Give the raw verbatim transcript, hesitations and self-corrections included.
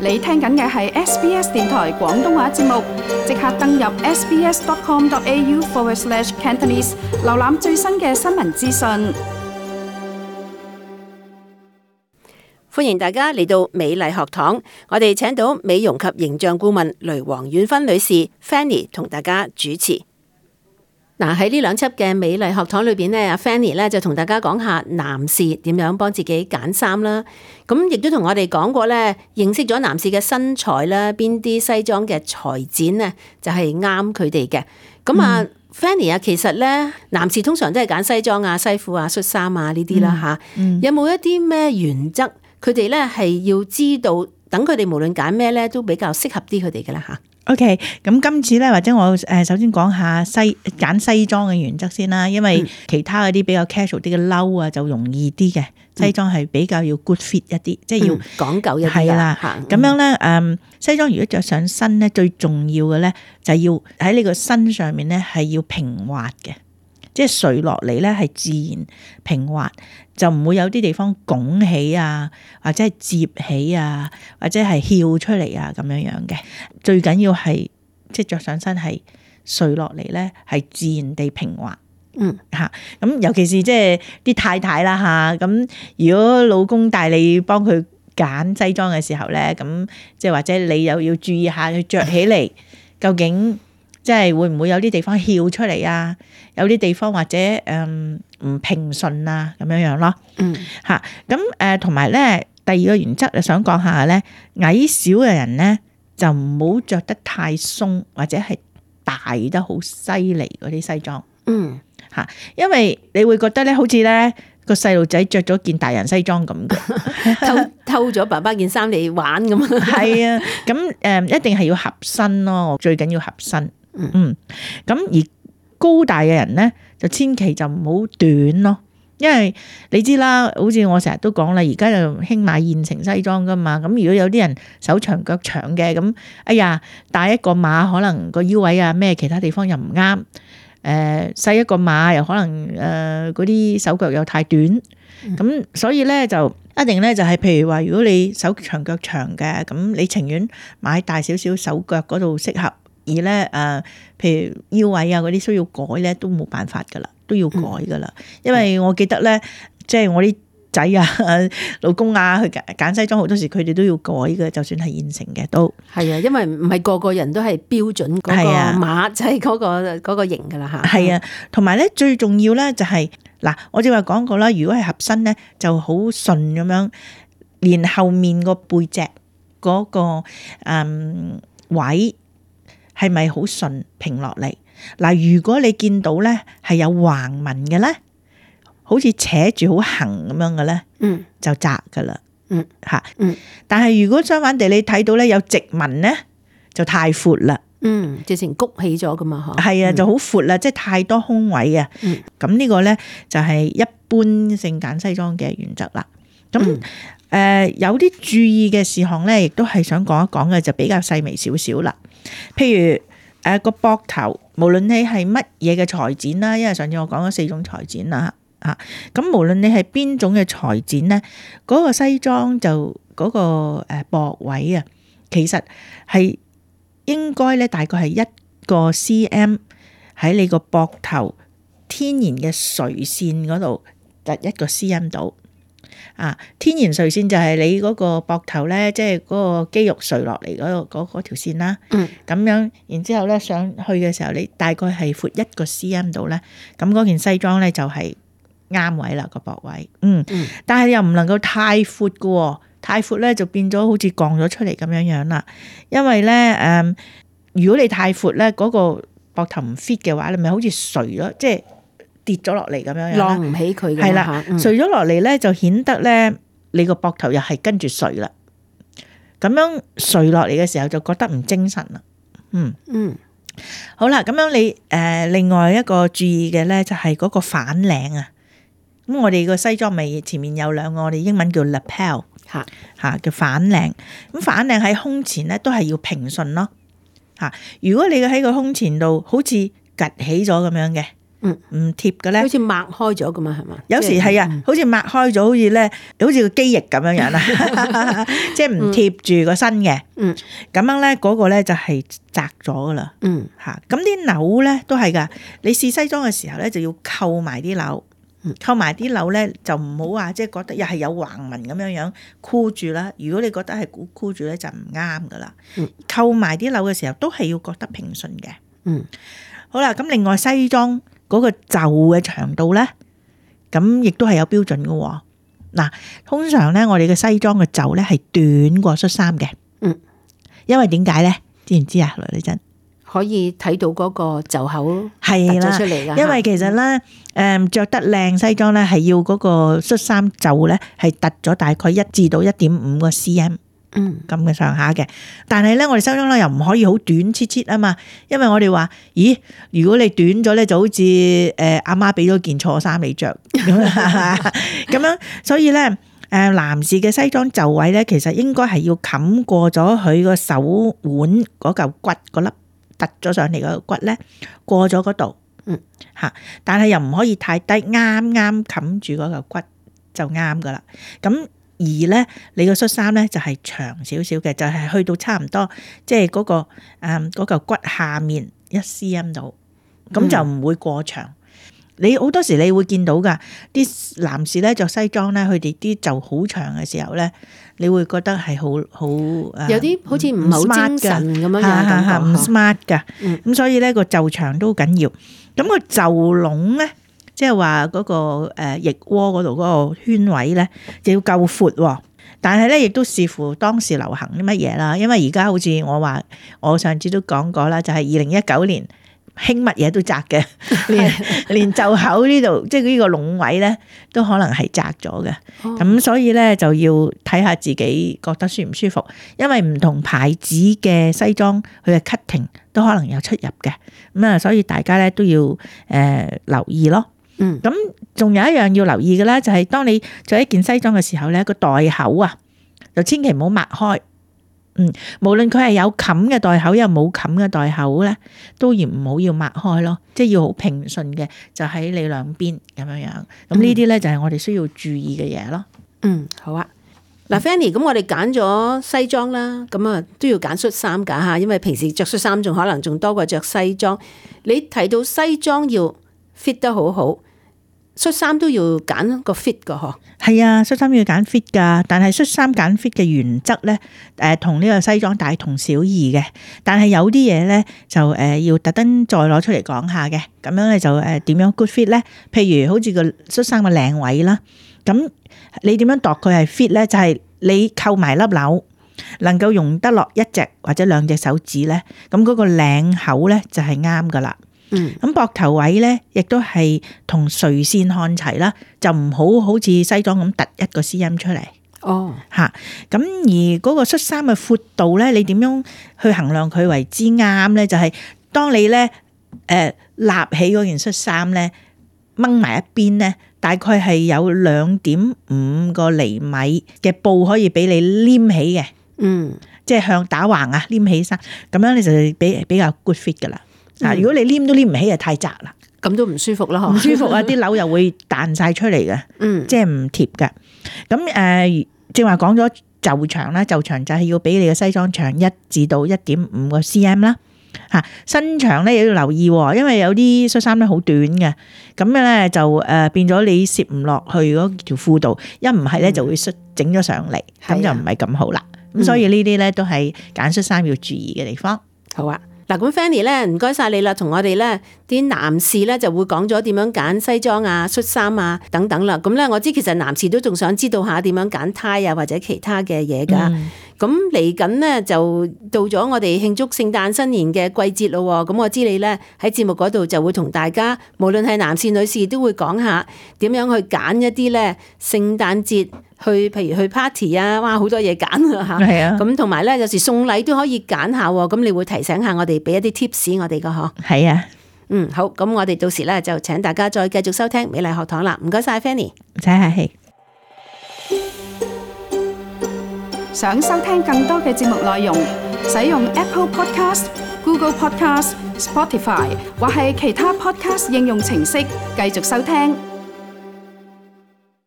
你聽緊嘅係 S B S 電台廣東話節目，即刻登入 sbs.com.au forward slash Cantonese， 瀏覽最新嘅新聞資訊。歡迎大家嚟到美麗學堂，我哋請到美容及形象顧問雷黃婉芬女士 Fanny 同大家主持。嗱，喺呢兩輯嘅美麗學堂裏邊咧，阿 Fanny 咧就同大家講下男士點樣幫自己揀衫啦。咁亦都同我哋講過咧，認識咗男士嘅身材啦，邊啲西裝嘅裁剪咧就係啱佢哋嘅。咁啊、嗯、Fanny 啊，其實咧男士通常都係揀西裝啊、西褲啊、恤衫啊呢啲啦吓。嗯嗯、有冇一啲咩原則？佢哋咧係要知道，等佢哋無論揀咩咧都比較適合啲佢哋嘅啦吓。OK， 咁今次咧，或者我誒首先講下西揀西裝嘅原則先啦，因為其他嗰啲比較 casual 啲嘅褸啊就容易啲嘅，西裝係比較要 good fit 一啲，嗯、即係要講究一啲係啦。咁樣咧，誒西裝如果着上身咧，最重要嘅咧就係要喺呢個身上面咧係要平滑嘅。即係垂落嚟咧，係自然平滑，就唔會有啲地方拱起啊，或者係摺起啊，或者係翹出嚟啊咁樣樣嘅。最緊要係即係著上身係垂落嚟咧，係自然地平滑。嗯嚇，咁尤其是即係啲太太啦嚇，咁如果老公帶你幫佢揀西裝嘅時候咧，咁即係或者你又要注意下佢著起嚟究竟。即係會唔會有啲地方翹出嚟啊？有啲地方或者誒唔、嗯、平順啊咁樣樣咯。嗯，嚇咁誒同埋咧，第二個原則就想講下咧，矮小嘅人咧就唔好着得太鬆或者係大得好犀利嗰啲西裝。嗯，嚇，因為你會覺得咧，好似咧個細路仔着咗件大人西裝咁嘅，偷偷咗爸爸件衫嚟玩咁。係啊，咁誒、嗯、一定係要合身咯，最緊要合身。嗯，咁而高大嘅人咧，就千祈就唔好短咯，因為你知啦，好似我成日都講啦，而家就興買現成西裝噶嘛，咁如果有啲人手長腳長嘅，咁哎呀，大一個碼可能個腰位啊咩其他地方又唔啱，誒、呃、細一個碼又可能誒嗰啲手腳又太短，咁、嗯、所以咧就一定咧就係譬如話，如果你手長腳長嘅，咁你情願買大少少手腳嗰度適合。而咧誒，譬如腰位啊嗰啲需要改咧，都冇辦法噶啦，都要改噶啦。因為我記得咧，即係我啲仔啊、老公啊去揀西裝，好多時佢哋都要改嘅，就算係現成嘅都係啊，因為唔係個個人都係標準嗰個碼，就係嗰個嗰個型噶啦嚇。係啊，同埋咧最重要咧就係嗱，我正話講過啦，如果係合身咧就好順咁樣，連後面個背脊嗰個誒位。係咪好順平落嚟？嗱，如果你見到咧係有橫紋嘅咧，好似扯住好橫咁樣嘅咧，嗯，就窄噶啦，嗯嚇，嗯。但係如果相反地，你睇到咧有直紋咧，就太闊啦，嗯，直情谷起咗噶嘛，嗬，係啊，就好闊啦，即係太多空位啊，嗯。咁呢個咧就係一般性揀西裝嘅原則啦。咁誒、嗯呃、有啲注意嘅事項咧，亦都係想講一講嘅，就比較細微少少啦。譬如誒個膊頭，無論你係乜嘢嘅裁剪啦，因為上次我講咗四種裁剪啦嚇，咁無論你係邊種嘅裁剪咧，嗰、嗰個西裝就嗰個誒膊位啊，其實係應該咧大概係一個 cm 喺你個膊頭天然嘅垂線嗰度，就一個 cm 度。啊，天然垂線就係你嗰個膊頭咧，即係嗰個肌肉垂落嚟嗰個嗰嗰條線啦。嗯，咁樣，然之後咧上去嘅時候，你大概係闊一個 cm 度咧，咁嗰件西裝咧就係啱位啦個膊位。嗯，嗯但係又唔能夠太闊嘅喎，太闊咧就變咗好似降咗出嚟咁樣樣啦。因為咧誒、呃，如果你太闊咧，嗰、嗰個膊頭唔 fit 嘅話，你咪好似垂咗，即係。跌咗落嚟咁樣樣，晾唔起佢嘅係啦，垂咗落嚟咧就顯得咧你個膊頭又係跟住垂啦，咁樣垂落嚟嘅時候就覺得唔精神啦。嗯嗯，好啦，咁樣你誒、呃、另外一個注意嘅咧就係嗰個反領啊。咁我哋個西裝咪前面有兩個，我哋英文叫 lapel 嚇嚇嘅反領。咁反領喺胸前咧都係要平順咯嚇。如果你喺個胸前度好似趌起咗咁樣嘅。嗯，唔貼嘅咧，好似擘開咗咁啊，係嘛？有時係啊，好似擘開咗，好似咧，好似個機翼咁樣樣啦，即係唔貼住個身嘅。嗯，咁樣咧嗰個咧就係窄咗噶啦。嗯，嚇，咁啲紐咧都係噶。你試西裝嘅時候咧就要扣埋啲紐，扣埋啲紐咧就唔好話即係覺得又係有橫紋咁樣樣箍住啦。如果你覺得係箍箍住咧就唔啱噶啦。嗯，扣埋啲紐嘅時候都係要覺得平順嘅。嗯，好啦，咁另外西裝嗰個袖嘅長度咧，咁亦都係有標準嘅喎。嗱，通常咧我哋嘅西裝嘅袖咧係短過恤衫嘅。嗯，因為點解咧？知唔知啊？來女真可以睇到嗰個袖口係啦，突出嚟㗎。因為其實咧，誒著得靚西裝咧係要嗰個恤衫袖咧係突咗大概一至到一點五個 cm。嗯，咁嘅上下嘅，但係咧，我哋西裝咧又唔可以好短切切啊嘛，因為我哋話，咦，如果你短咗咧，就好似誒阿媽俾咗件錯衫你着咁咁樣，所以咧，誒男士嘅西裝袖位咧，其實應該係要冚過咗佢個手腕嗰嚿骨嗰粒突咗上嚟個骨咧，過咗嗰度，嗯嚇，但係又唔可以太低，啱啱冚住嗰嚿骨就啱噶啦，咁。而咧，你個恤衫咧就係長少少嘅，就係、是、去到差唔多，即係嗰個誒嗰嚿骨下面一 cm 度，咁就唔會過長。嗯、你好多時你會見到噶，啲男士咧着西裝咧，佢哋啲袖好長嘅時候咧，你會覺得係好好誒，有啲好似唔係好精神咁樣樣，唔 smart 噶。咁、嗯、所以咧個袖長都好緊要。咁個袖籠咧。即係話嗰個誒腋窩嗰度嗰個圈位咧，就要夠闊，但係咧亦都視乎當時流行啲乜嘢啦。因為而家好似我話，我上次都講過啦，就係二零一九年興乜嘢都窄嘅，連連袖口呢度，即係呢個籠位咧，都可能係窄咗嘅。咁、哦、所以咧就要睇下自己覺得舒唔舒服，因為唔同牌子嘅西裝佢嘅 cutting 都可能有出入嘅。咁啊，所以大家咧都要誒、呃、留意咯。嗯，咁仲有一樣要留意嘅咧，就係當你着一件西裝嘅時候咧，個袋口啊，就千祈唔好擘開。嗯，無論佢係有冚嘅袋口，又冇冚嘅袋口咧，都要唔好要擘開咯，即係要好平順嘅，就喺你兩邊咁樣樣。咁呢啲咧就係我哋需要注意嘅嘢咯。嗯，好啊。嗱 Fanny，咁我哋揀咗西裝啦，咁啊都要揀恤衫噶吓，因為平時着恤衫仲可能仲多過着西裝。你提到西裝要 fit 得好好。恤衫都要揀個 fit 噶嗬，係啊，恤衫要揀 fit 噶，但係恤衫揀 fit 嘅原則咧，誒同呢個西裝大同小異嘅，但係有啲嘢咧就誒要特登再攞出嚟講下嘅，咁樣咧就誒點樣 good fit 咧？譬如好似個恤衫嘅領位啦，咁你點樣度佢係 fit 咧？就係你扣埋粒紐，能夠用得落一隻或者兩隻手指咧，咁嗰個領口咧就係啱噶啦。嗯，咁膊頭位咧，亦都係同垂線看齊啦，就唔好好似西裝咁突一個 cm 出嚟。哦，吓，咁而嗰個恤衫嘅闊度咧，你點樣去衡量佢為之啱咧？就係、是、當你咧，誒、呃，立起嗰件恤衫咧，掹埋一邊咧，大概係有兩點五個厘米嘅布可以俾你黏起嘅。嗯，即係向打橫啊，黏起身，咁樣你就比比較 good fit 噶啦。嗱，如果你黏都黏唔起，就太窄啦，咁都唔舒服啦，唔舒服啊！啲紐又會彈晒出嚟嘅，嗯，即係唔貼嘅。咁誒，正話講咗袖長啦，袖長就係要比你嘅西裝長一至到一點五個 cm 啦。嚇，身長咧也要留意，因為有啲恤衫咧好短嘅，咁樣咧就誒變咗你攝唔落去嗰條褲度，一唔係咧就會整咗上嚟，咁、嗯、就唔係咁好啦。咁、嗯、所以呢啲咧都係揀恤衫要注意嘅地方。好啊。嗱，咁 Fanny 咧，唔該晒你啦，同我哋咧啲男士咧就會講咗點樣揀西裝啊、恤衫啊等等啦。咁咧，我知其實男士都仲想知道下點樣揀呔啊或者其他嘅嘢噶。咁嚟緊咧就到咗我哋慶祝聖誕新年嘅季節咯。咁我知你咧喺節目嗰度就會同大家，無論係男士女士都會講下點樣去揀一啲咧聖誕節。去譬如去 party 啊，哇好多嘢揀啊吓，係啊，咁同埋咧有時送禮都可以揀下，咁你會提醒下我哋，俾一啲 tips 我哋噶嗬，係啊，嗯好，咁我哋到時咧就請大家再繼續收聽美麗學堂啦，唔該晒 Fanny， 唔使客氣。想收聽更多嘅節目內容，使用 Apple Podcast、Google Podcast、Spotify 或係其他 Podcast 應用程式繼續收聽。